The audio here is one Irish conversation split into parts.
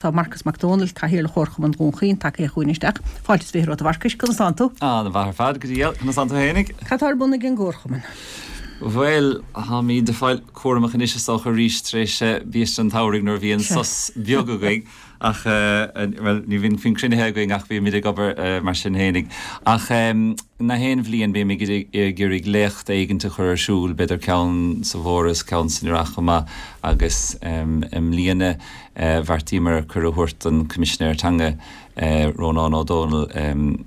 Tá Marcas Mac Dónaill, Cathaoirleach Chomharchumann Dhún Chaoin, tagtha chugainn isteach. Fáilte is 20 romhat a Mharcais, conas tánn tú? Ana-mhaith ar fad, go diail. Conas tánn tú fhéinig? Cad tá ar bun ag an gComharchumann? Bhuel, táimíd ag fáil cúramach anois is dócha arís tar éis biaiste an tsamhraidh nuair a bhí an sos beag againn ach, bhuel, ní bhíonn cruinnithe againn ach bímid ag obair mar sin fhéinig. Ach na haon bhliain bímid ag iarraidh léacht éigint a chur ar siúl, b'fhéidir ceann sa bhForas, ceann san Earrach chomh maith agus i mbliana, Bheartaíomar cuireadh a thabhairt don Choimisinéir Teanga, Rónán Ó Domhnaill,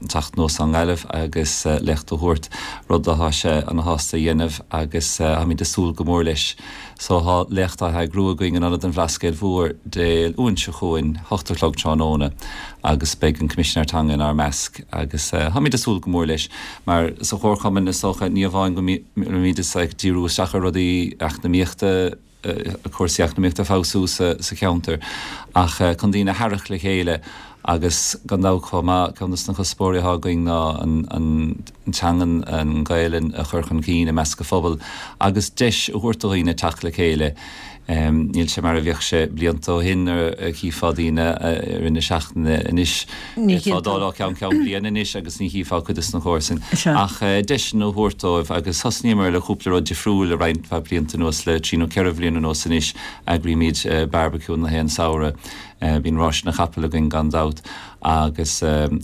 teacht anuas ón nGaillimh agus léacht a thabhairt, rud atá sé ana-shásta a dhéanamh agus táimid ag súil go mór leis. So tá léacht á heagrú againn in Ionad an Bhlascaoid Mhóir Dé Luain seo chugainn, 8 a chlog tráthnóna agus beidh an Coimisinéir Teanga inár measc agus táimid ag súil go mór leis mar sa Chomharchumann is dócha ní amháin go mbímid ag díriú isteach ar rudaí eacnamaíochta, cúrsaí eacnamaíochta a fheabhsú sa cheantar ach chun daoine a tharrac le chéile agus gan dabht chomh maith, ceann de na cuspóirí atá againn ná an teangan, an Ghaelainn a chur chun cinn i measc an phobail agus deis a thabhairt do dhaoine teacht le chéile. Níl sé mar a bhíodh sé blianta ó shin nuair a chífeá daoine i rith na seachtaine anois. D'fhéadfá dul ó cheann ceann bliana anois agus ní chífeá cuid de na comharsain. Ach deiseanna a thabhairt dóibh agus thosnaíomar le cúpla rud difriúil le roinnt mhaith blianta anuas, le trí nó ceithre bhliain anuas anois, eagraímid barbecue na haon samhradh, bíonn ráis na gcapall againn gan dabht agus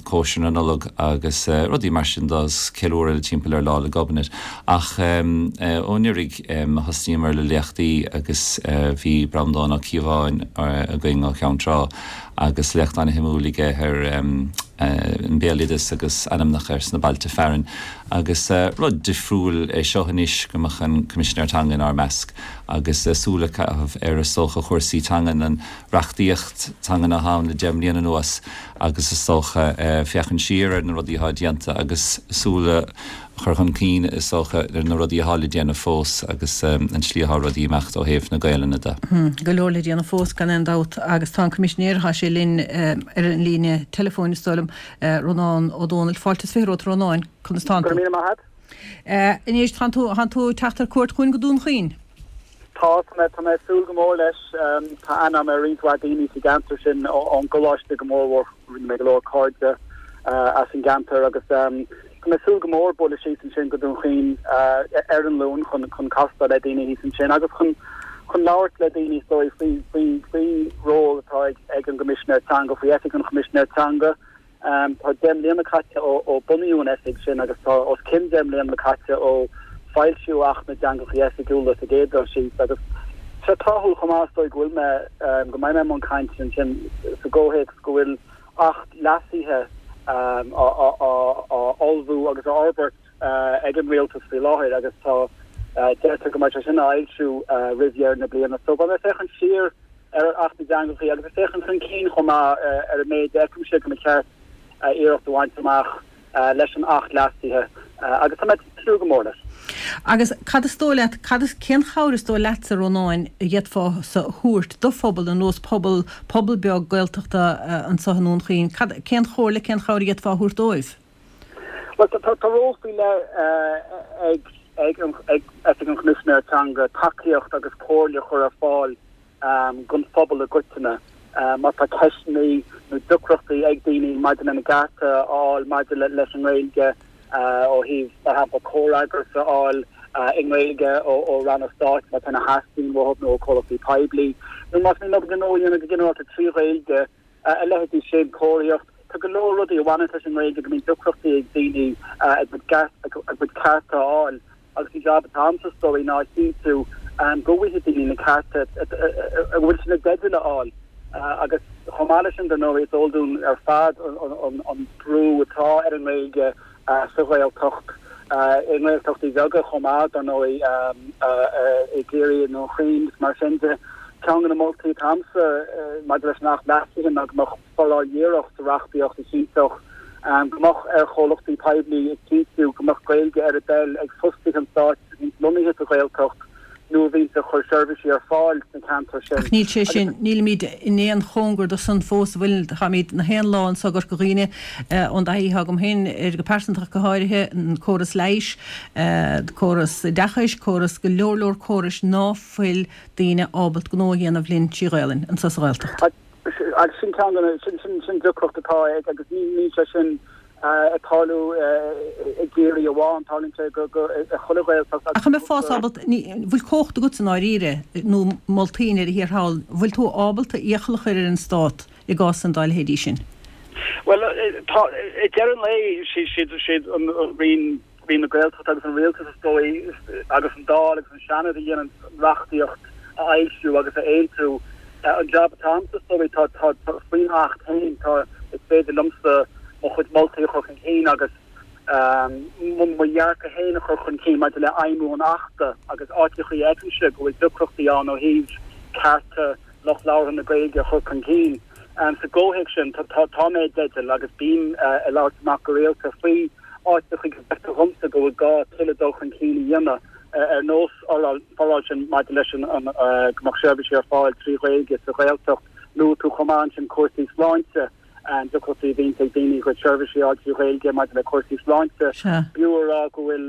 cóisir na Nollag agus rudaí mar sin do ceiliúradh le timpeall ar Lá 'le Gobnait. Ach ó anuraidh thosnaíomar le léachtaí agus bhí Breandán Ó Cíobháin againn ó Cheann Trá agus léacht an-shuimiúil aige ar an mbéaloideas agus ainmneacha ar sna bailte fearainn. Agus rud difriúil é seo anois go mbeadh an Coimisinéir Teanga inár measc agus súil a chaitheamh ar is dócha chúrsaí teangan, an reachtaíocht teangan atá ann le 10 mbliana anuas agus is dócha féachaint siar ar na rudaí atá déanta agus súil a chur chun cinn, is dócha, ar na rudaí atá le déanamh fós agus an tslí atá rudaí ag imeacht ó thaobh na Gaelainne de. Go leor le déanamh fós, gan aon dabht, agus tá an Coimisinéir, tá sé linn ar an líne teileafóin, is dóigh liom, Rónán Ó Domhnaill. Fáilte is 20 romhat, a Rónáin, conas tánn tú? Go raibh míle maith agat. Anois, tánn tú, tánn tú ag teacht ar cuairt chugainn go Dún Chaoin? Tá, tá mé, tá mé ag súil go mór leis. Tá aithne agam ar roinnt mhaith daoine sa gceantar sin, ón gcoláiste go mórmhór. Rinne mé go leor cairde as an gceantar agus tá mé ag súil go mór bualadh síos ansin go Dún Chaoin ar an Luan chun chun castáil le daoine thíos ansin agus chun chun labhairt le daoine is dóigh faoi faoi faoi ról atá ag ag an gCoimisinéir Teanga, faoi Oifig an Choimisinéir Teanga. Tá 10 mbliana caite ó bunaíodh an oifig sin agus tá os cionn 10 mbliana caite ó foilsíodh Acht na dTeangacha Oifigiúla sa gcéad dul síos agus tá sé tráthúil chomh maith is dóigh go bhfuil mé, go mbeidh mé i mbun cainte ansin sa gcomhthéacs go bhfuil Acht leasaithe á ullmhú agus á fhorbairt ag an Rialtas faoi láthair agus tá, deirtear go mbeidh sé sin á fhoilsiú roimh dheireadh na bliana. So beidh mé ag féachaint siar ar Acht na dTeangacha agus ag féachaint chun cinn chomh maith ar an méid a fheicimse go mba cheart iarracht a bhaint amach leis an Acht leasaithe agus tá mé ag tnúth go mór leis. Agus cad is dóigh leat, cad is, cén chabhair is dóigh leatsa, a Rónáin, a d'fhéadfá-sa a thabhairt do phobal ar nós pobal, pobal beag Gaeltachta anseo i nDún Chaoin, cad, cén chomhairle, cén chabhair a d'fhéadfá a thabhairt dóibh? Bhuel, tá ról faoi leith ag ag Oifig an Choimisinéara Teanga tacaíocht agus comhairle a chur ar fáil don phobal i gcoitinne má tá ceisteanna nó deacrachtaí ag daoine maidir lena gcearta a fháil maidir leis an nGaeilge ó thaobh, mar shampla, comhfhreagras a fháil i nGaeilge ó ranna stáit má tá ina theastaíonn uathu nó ó chomhlachtaí poiblí nó más mian leo gnó a dhéanamh go ginearálta trí Ghaeilge. A leithéidí sin, comharthaíocht, tá go leor rudaí a bhaineanns leis an nGaeilge go mbíonn deacrachtaí ag daoine a gcuid cearta a fháil agus an jab atá a'msa is dóigh ná a chinntiú go bhfaighidh daoine na cearta a bhfuil siad ina dteideal a fháil agus chomh maith leis sin dar ndóigh is eol dúinn ar fad an brú atá ar an nGaeilge sa Ghaeltacht, i nGaeltachtaí bheaga chomh maith, dar ndóigh, i gCiarraí, i nDún Chaoin agus mar sin de. Ceann de na moltaí atá a'msa maidir leis an Acht leasaithe ná go mbeadh foráil dhíreach sa reachtaíocht a chinnteodh go mbeadh ar chomhlachtaí poiblí a chinntiú go mbeadh Gaeilge ar a dtoil ag fostaithe an Stáit a bhíonns lonnaithe sa Ghaeltacht nó a bhíonns ag cur seirbhísí ar fáil sna ceantair sin. Ach níl sé sin, nílimid in aon chóngar do san fós, an bhfuil? Táimid na haon lá anso i gCorca Dhuibhne, ón dtaithí atá agam féin air go pearsanta ach go háirithe, an córas leighis, córas oideachais, córas, go leor leor córais ná fuil daoine ábalt gnó a dhéanamh linn trí Ghaelainn anso sa Ghaeltacht. Agus sin ceann de na, sin, sin, sin deacracht atá ag, agus ní, níl sé sin ag tarlú i gCiarraí amháin, tarlaíonn sé go, go, i chuile Ghaeltacht agus. Ach an mbeifeá ábalta, ní, bhfuil cumhacht agat i ndáiríre, nó moltaí i ndeireadh thiar thall, bhfuil tú ábalta iachall a chur ar an Stát i gcásanna dá leithéidí sin? Bhuel, tá, i deireadh an lae, siad, siad an Roinn, Roinn na Gaeltachta agus an Rialtas is dóigh agus an Dáil agus an Seanad a dhéanann an reachtaíocht a fhoilsiú agus a aontú. An jab atá agamsa is dóigh tá tá faoin Acht féin tá is féidir liomsa mo chuid moltaí a chur chun cinn agus mo dhearcadh féin a chur chun cinn maidir le fheidhmiú an Achta agus áiteachaí a fheicimse go bhfuil deacrachtaí ann ó thaobh cearta lucht labhartha na Gaeilge a chur chun cinn. Sa gcomhthéacs sin tá mé i dteideal agus bím ag labhairt amach go rialta faoi áiteachaí go bhfeictear dhomsa go bhfuil gá tuilleadh dul chun cinn a dhéanamh, ar nós an fhoráil sin maidir leis an go mbeadh seirbhísí ar fáil trí Ghaeilge sa Ghaeltacht. Luaigh tú chomh maith ansin cúrsaí sláinte, an deacrachtaí a bhíonns ag daoine a gcuid seirbhísí a fháil trí Ghaeilge maidir le cúrsaí sláinte. B'fhiú a rá go bhfuil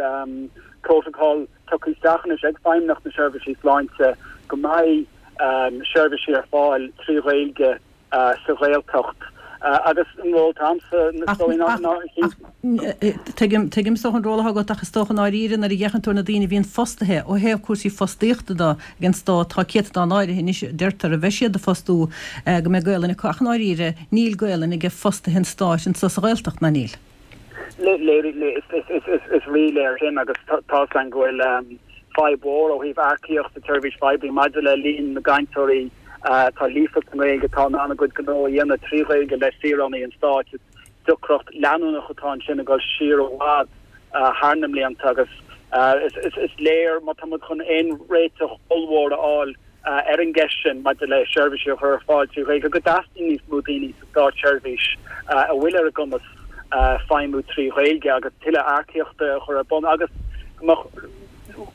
protocol tugtha isteach anois ag Feidhmeannacht na Seirbhísí Sláinte go mbeidh seirbhísí ar fáil trí Ghaeilge sa Ghaeltacht agus an ról atá agamsa is dóigh ná Ach tuigim, tuigim is dócha an ról atá agat ach is dócha i ndáiríre nuair a fhéachann tú ar na daoine a bhíonn fostaithe ó thaobh cúrsaí fostaíochta de ag an Stát, tá céatadán áirithe anois a deirtear a bheidh siad a fostú go mbeidh Gaolainn acu ach i ndáiríre níl Gaolainn ag fostaithe an Stáit anso sa Ghaeltacht, ná níl? Is ríléir sin agus tá 's againn go bhfuil fadhb mhór ó thaobh earcaíocht sa tseirbhís phoiblí maidir le líon na gcainteoirí atá líofa sa nGaeilge atá in ann a gcuid gnó a dhéanamh trí Ghaeilge le saoránaigh an stáit. Is deacracht leanúnach atá ansin ag dul siar i bhfad thar na mblianta agus is léir má tá muid chun aon réiteach ollmhór a fháil ar an gceist sin maidir le seirbhísí a chur ar fáil trí Ghaeilge, go dteastaíonn níos mó daoine sa státseirbhís a bhfuil ar a gcumas feidhmiú trí Ghaeilge agus tuilleadh earcaíochta a chur ar bun agus go mbeadh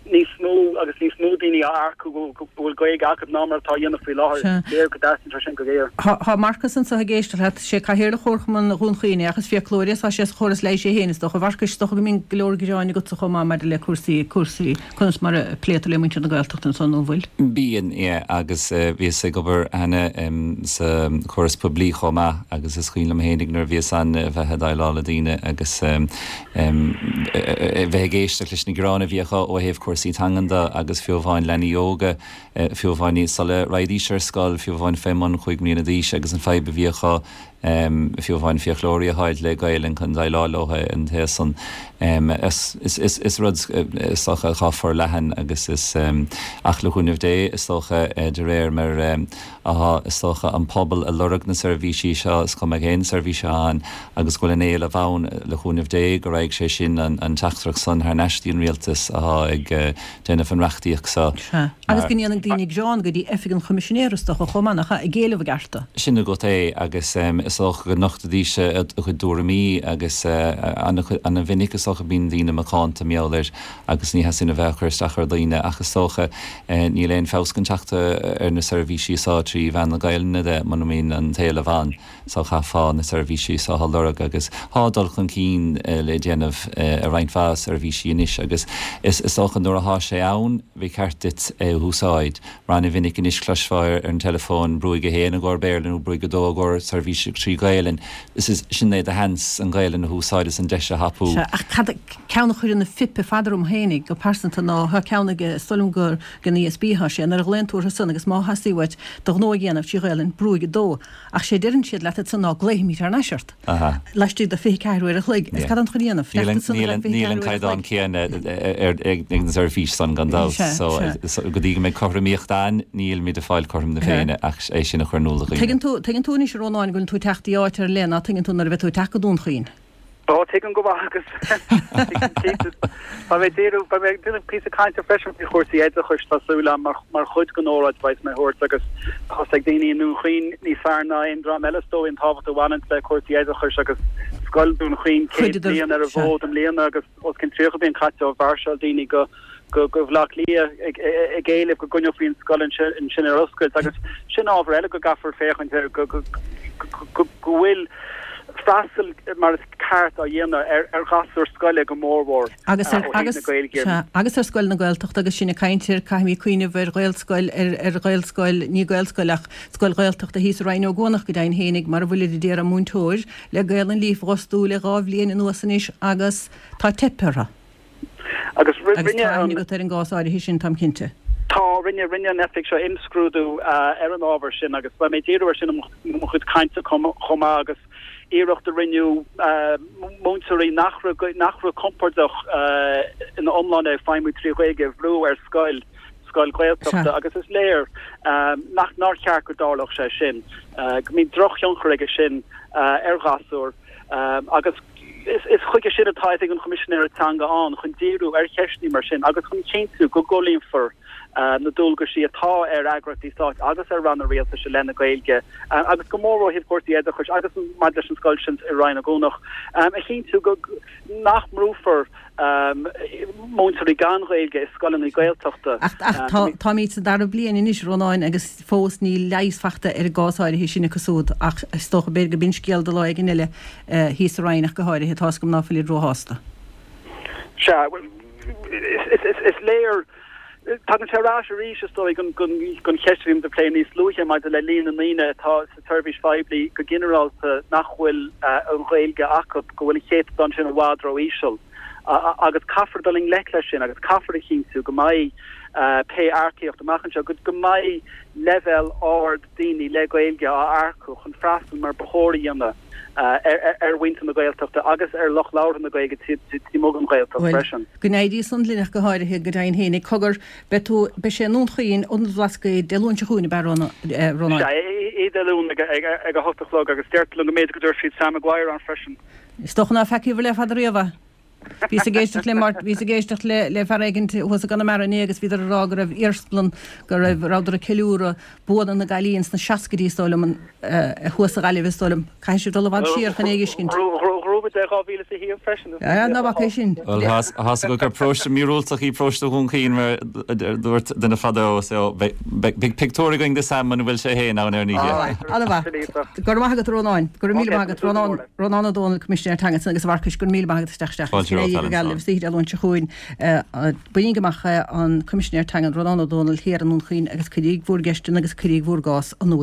níos mó agus níos mó daoine á earcú go bhfuil Gaeilge acu ná mar atá á dhéanamh faoi láthair. Léir go dteastaíonn sé sin go géar. Tá Marcas anseo ag éisteacht leat. Sé Cathaoirleach Chomharchumann Dhún Chaoin é ach is fiaclóir é. Tá sé sa chóras leighis é féin is dócha. A Mharcais, is dócha go mbíonn go leor gearáin agatsa chomh maith maidir le cúrsaí, cúrsaí. Conas mar a pléitear le muintir na Gaeltachta ansan, nó an bhfuil? Bíonn, yeah, agus bhíos ag obair cheana sa chóras poiblí chomh maith agus is cuimhin liom fhéinig nuair a bhíos ann a bheith ag déileáil le daoine agus a bheith ag éisteacht leis na gearáin a bhí acu ó thaobh cúrsaí teangan de agus fiú amháin leanaí óga, fiú amháin sula raghaidís ar scoil, fiú amháin fé mbun chúig mbliana d'aois agus an fadhb a bhí acu fiú amháin fiaclóirí a fháil le Gaelainn chun déileáil leo an taobh san. Is rud is dócha atá forleathan agus is ach le cúnamh Dé is dócha de réir mar atá is dócha an pobal ag lorg na seirbhísí seo is cuma cén seirbhís atá ann agus go bhfuil an éileamh ann le cúnamh Dé go raghaidh sé sin an teachtaireacht san thar n-ais dtí an rialtas atá ag déanamh an reachtaíocht seo. Sea. Agus go ndéanfaidh daoine gearán go dtí Oifig an Choimisinéara, is dócha, chomh maith, nach ea, ag éileamh a gcearta. Sin agat é, agus is dócha go nochtfaidís a gcuid dtuairimí agus ana-mhinic is dócha bíonn daoine macánta mar gheall air agus ní theastaíonn a bheith ag cur isteach ar dhaoine ach is dócha níl aon feabhas chun teacht ar na seirbhísí seo trí mheán na Gaelainne de muna mbíonn an t-éileamh ann. So chaithfeá na seirbhísí seo a lorg agus tá dul chun cinn le déanamh i roinnt mhaith seirbhísí anois agus is dócha nuair athá sé ann ba cheart duit é a húsáid. Mar ana-mhinic anois cloisfeá ar an teileafón brúigh 1 i gcomhair Béarla nó brúigh 2 i gcomhair seirbhíse trí Ghaelainn. Sin é do sheans an Ghaelainn a húsáid is an deis a thapú. Sea, ach cad, ceann a chuireann na fuip ar fad orm fhéinig go pearsanta ná tá ceann ag, is dóigh liom gur ag an ESB atá sé, nuair a ghlaonn tú orthu san agus má theastaíonn uait do ghnó a dhéanamh trí Ghaelainn, brúigh 2. Ach sé a deireann siad leat ansan ná glaofaimid thar n-ais ort laistigh de 24 uair a chloig. Is cad táim chun a dhéanamh? Fanacht ansan ar feadh 24 Níl an uair a caighdeán chloig. céanna ag na seirbhís san gan dabht. So go dtí go mbeidh cothromaíocht ann, nílimid ag fáil cothrom na Féinne ach é sin a chur in iúl do dhaoine. Tuigeann tú, tuigeann tú anois a Rónáin go bhfuil tú ag teacht i áit ar leith ná tuigeann tú nuair a bheidh tú ag teacht go Dún Chaoin. Ó, tuigim go maith agus tuigim cinnte. Beidh mé ag díriú, beidh mé ag déanamh píosa cainte freisin faoi chúrsaí oideachais, tá súil agam, mar, mar chuid den óráid a bheas mé a thabhairt agus tá 's ag daoine i nDún Chaoin níos fearr ná aon dream eile is dóigh an tábhacht a bhaineann le cúrsaí oideachais agus Scoil Dhún Chaoin 100 bliain ar an bhfód i mbliana agus os cionn 30 bliain caite ó mhairseáil daoine go go go Bhaile Átha Cliath ag ag éileamh go gcoinneofaí an scoil ansin ar oscailt agus sin ábhar eile go gcaithfear féachaint air go go go go bhfuil. freastal mar is ceart á dhéanamh ar ghasúir scoile go mórmhór ó thaobh na Gaeilge. Sea, agus ar scoil na Gaeltachta agus sinn ag caint air, caithfimid cuimhneamh ar Ghaelscoil, ar Ghaelscoil, ní Gaelscoil ach scoil Ghaeltachta thíos i Rinn Ó gCuanach go deimhin fhéinig mar a bhfuilid a d'iarraidh múinteoir le Gaelainn líofa a dh'fhostú le 2 bhliain anuas anois agus tá teipthe orthu. Agus rinne an. Agus tá aithne agat ar an gcás áirithe sin, táim cinnte. Tá, rinne, rinne an oifig seo imscrúdú ar an ábhar sin agus beidh mé ag díriú air sin i mo chuid cainte chomh maith agus iarracht a rinneadh múinteoirí nach raibh, nach raibh compordach ina iomláine ag feidhmiú trí Ghaeilge a bhrú ar scoil, scoil Ghaeltachta agus is léir nach, nár cheart go dtarlódh sé sin, go mbíonn drochthionchar aige sin ar ghasúir agus. Is chuige sin atá Oifig an Choimisinéara Teanga ann, chun díriú ar cheisteanna mar sin agus chun cinntiú go gcomhlíonfar na dualgaisí atá ar eagraíochtaí stáit agus ar ranna rialtais i leith na Gaeilge agus go mór ó thaobh cúrsaí oideachais agus maidir leis an scoil sin i Rinn Ó gCuanach, a chinntiú go nach mbrúfar múinteoirí gan Ghaeilge i scoileanna Gaeltachta. Ach táimid sa dara bliain anois, a Rónáin, agus fós níl leigheas fachta ar an gcás áirithe sin acu siúd ach is dócha b'fhéidir go b'in scéal do lá éigin eile thíos sa Rinn ach go háirithe. Tá's agam ná fuilid róshásta. Sea, bhuel, is léir, tagann sé ar ais arís, is dóigh, don cheist a bhí muid ag plé níos luaithe maidir le líon na ndaoine atá sa tseirbhís phoiblí go ginearálta nach bhfuil an Ghaeilge acu, go bhfuil an céatadán sin i bhfad ró-íseal. Agus caithfear dul i ngleic leis sin agus caithfear a chinntiú go mbeidh pé earcaíocht amach anseo, go mbeidh leibhéal ard daoine le Gaeilge á earcú chun freastal mar ba chóir a dhéanamh ar mhuintir na Gaeltachta agus ar lucht labhartha na Gaeilge taobh amuigh den Ghaeltacht freisin. Go n-éirí san linn ach go háirithe, go deimhin féin. Cogar, beidh tú, beidh sé i nDún Chaoin, Ionad an Bhlascaoid, Dé Luain seo chugainn, ab ea, Rónáin? Sea, oíche Dé Luain ag a hocht a chlog agus deirtear liom go mb'fhéidir go dtabharfaidh siad Sam Maguire ann freisin. Is dócha ná feacaíobhair le fada riamh é. Bhíos ag éisteacht le Máirt, bhíos ag éisteacht le le fear éigint thuas i gConamara inné agus bhíodar ag rá go raibh iarsmalann, go raibh, rabhadar ag ceiliúradh buanna na gcailín sna seascaidí is dóigh liom, an, thuas sa Ghaillimh is dóigh liom. Caithfidh sibh dul i bhfad siar chun é a fheiscint. Ghnóthaigh muid é 2001 freisin. Ná bac é sin. Bhuel, tá's agat gur paróiste míorúilteach í paróiste Dhún Chaoin mar a dúirt duine fadó so beidh pictiúr againn de Sam muna bhfuil sé féin ann ar an oíche. Ana-mhaith. Go raibh maith agat a Rónáin. Go raibh míle maith agat. Rónán, Rónán Ó Dónaill, Coimisinéir Teanga ansan agus a Mharcais, go raibh míle maith agat isteach isteach. Fáilte romhat, Go Gaillimh, istoíche Dé Luain seo chugainn. Bainigí amach an Coimisinéir Teanga, Rónán Ó Dónaill, thiar i nDún Chaoin agus cuiríg bhúr gceisteanna agus cuiríg bhúr gcás in iúl.